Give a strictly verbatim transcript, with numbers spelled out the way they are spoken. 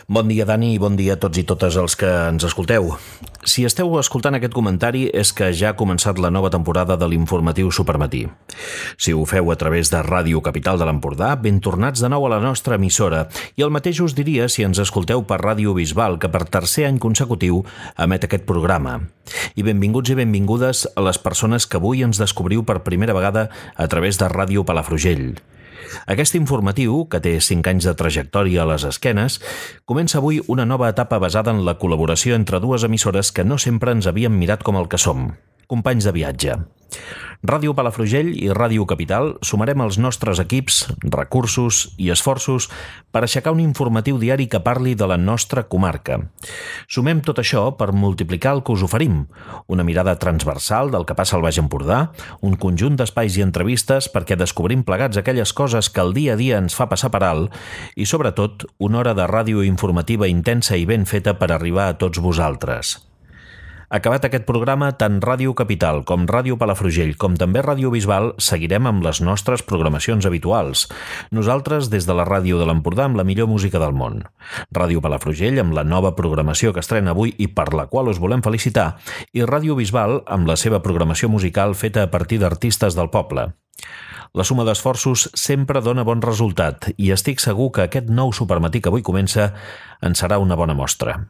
Bon dia, Dani, i bon dia a tots i totes els que ens escolteu. Si esteu escoltant aquest comentari és que ja ha començat la nova temporada de l'informatiu Supermatí. Si ho feu a través de Ràdio Capital de l'Empordà, ben tornats de nou a la nostra emissora, i el mateix us diria si ens escolteu per Ràdio Bisbal, que per tercer any consecutiu emet aquest programa. I benvinguts i benvingudes a les persones que avui ens descobriu per primera vegada a través de Ràdio Palafrugell. Aquest informatiu, que té cinc anys de trajectòria a les esquenes, comença avui una nova etapa basada en la col·laboració entre dues emissores que no sempre ens havíem mirat com el que som, companys de viatge. Ràdio Palafrugell i Ràdio Capital sumarem els nostres equips, recursos i esforços per aixecar un informatiu diari que parli de la nostra comarca. Sumem tot això per multiplicar el que us oferim, una mirada transversal del que passa al Baix Empordà, un conjunt d'espais i entrevistes perquè descobrim plegats aquelles coses que el dia a dia ens fa passar per alt i, sobretot, una hora de ràdio informativa intensa i ben feta per arribar a tots vosaltres. Acabat aquest programa, tant Ràdio Capital com Ràdio Palafrugell com també Ràdio Bisbal seguirem amb les nostres programacions habituals. Nosaltres des de la Ràdio de l'Empordà amb la millor música del món. Ràdio Palafrugell amb la nova programació que estrena avui i per la qual us volem felicitar, i Ràdio Bisbal amb la seva programació musical feta a partir d'artistes del poble. La suma d'esforços sempre dona bon resultat i estic segur que aquest nou supermatí que avui comença en serà una bona mostra.